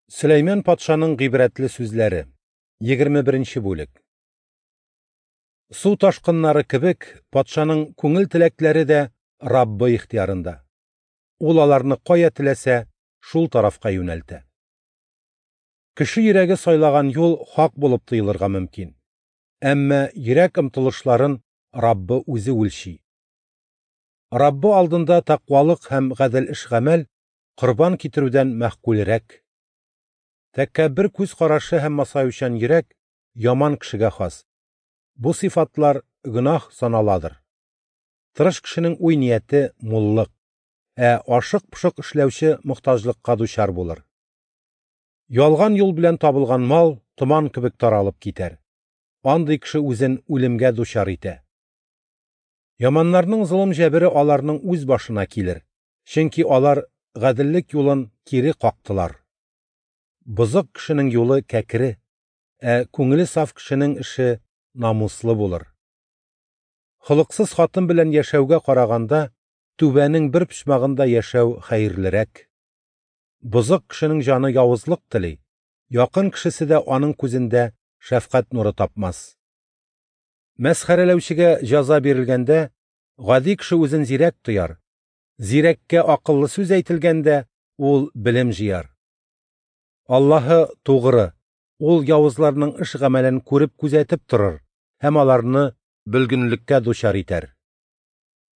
Сөләйман патшаның гыйбрәтле сүзләре. 21 нче бүлек. Су ташкыннары кебек, патшаның күңел теләкләре дә Раббы ихтыярында. Ул аларны кая теләсә, шул тарафка юнәлтә. Кеше йөрәге сайлаган юл хак булып тоелырга мөмкин. Әмма йөрәк омтылышларын Раббы үзе үлчи. Раббы алдында тәкъвалык һәм гадел эш-гамәл корбан китерүдән мәгъкульрәк. Тәкәббер күз карашы һәм масаючан йөрәк яман кешегә хас. Бу сыйфатлар гөнаһ саналадыр. Тырыш кешенең уй-нияте муллык, ә ашык-пошык эшләүче мохтаҗлыкка дучар булыр. Ялган юл белән табылган мал томан кебек таралып китәр. Андый кеше үзен үлемгә дучар итә. Яманнарның золым-җәбере аларның үз башына килер, чөнки алар гаделлек юлын кире кактылар. Бозык кешенең юлы кәкре, ә күңеле саф кешенең эше намуслы булыр. Холыксыз хатын белән яшәүгә караганда, түбәнең бер почмагында яшәү хәерлерәк. Бозык кешенең җаны явызлык тели, якын кешесе дә аның күзендә шәфкать нуры тапмас. Мәсхәрәләүчегә җәза бирелгәндә, гади кеше үзен зирәк тояр, зирәккә акыллы сүз әйтелгәндә, ул белем җыяр. Аллаһы тугры, ул явызларның эш-гамәлен күреп-күзәтеп торыр һәм аларны бөлгенлеккә дучар итәр.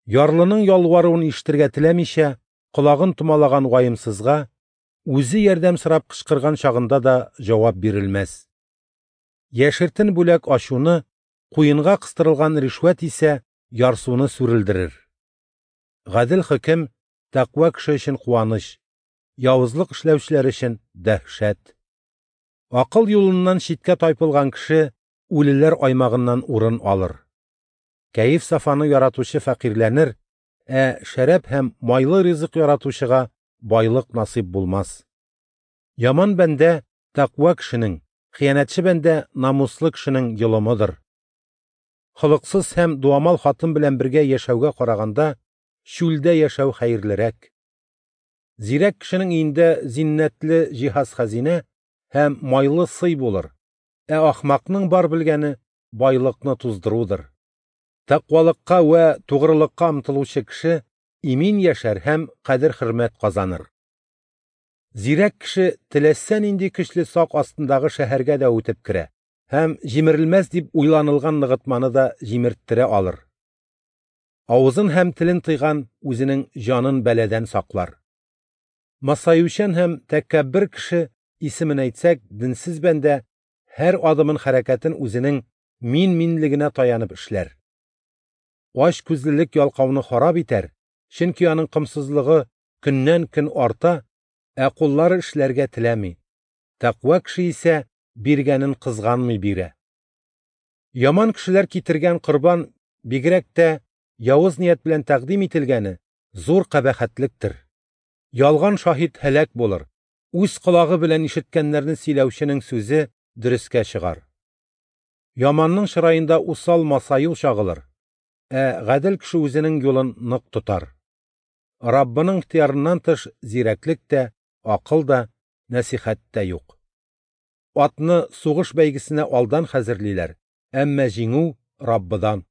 Ярлының ялваруын ишетергә теләмичә, колагын томалаган ваемсызга, үзе ярдәм сорап кычкырган чагында да җавап бирелмәс. Яшертен бүләк ачуны, куенга кыстырылган ришвәт исә ярсуны сүрелдерер. Гадел хөкем тәкъва кеше өчен куаныч, явызлык эшләүчеләр өчен дәһшәт. Акыл юлыннан читкә тайпылган кеше үлеләр аймагыннан урын алыр. Кәеф-сафаны яратучы фәкыйрьләнер, ә шәраб һәм майлы ризык яратучыга байлык насыйп булмас. Яман бәндә тәкъва кешенең, хыянәтче бәндә намуслы кешенең йолымыдыр. Холыксыз һәм дуамал хатын белән бергә яшәүгә караганда, чүлдә яшәү хәерлерәк. Зирәк кешенең өендә зиннәтле җиһаз-хәзинә һәм майлы сый булыр, ә ахмакның бар белгәне байлыкны туздырудыр. Тәкъвалыкка вә тугрылыкка омтылучы кеше имин яшәр һәм кадер-хөрмәт казаныр. Зирәк кеше теләсә нинди көчле сак астындагы шәһәргә дә үтеп керә һәм җимерелмәс дип уйланылган ныгытманы да җимерттерә алыр. Авызын һәм телен тыйган үзенең җанын бәладән саклар. Масаючан һәм тәкәббер кеше, исемен әйтсәк, денсез бәндә һәр адымын хәрәкәтен үзенең мин-минлегенә таянып эшләр. Ач күзлелек ялкауны харап итәр, чөнки аның комсызлыгы көннән-көн арта, ә куллары эшләргә теләми. Тәкъва кеше исә биргәнен кызганмый бирә. Яман кешеләр китергән корбан, бигрәк тә явыз ният белән тәкъдим ителгәне, зур кабахәтлектер. Ялган шаһит һәлак булыр, үз колагы белән ишеткәннәрне сөйләүченең сүзе дөрескә чыгар. Яманның чыраенда усал масаю чагылыр, ә гадел кеше үзенең юлын нык тотар. Раббының ихтыярыннан тыш зирәклек тә, акыл да, нәсихәт тә юк. Атны сугыш бәйгесенә алдан хәзерлиләр, әмма җиңү Раббыдан.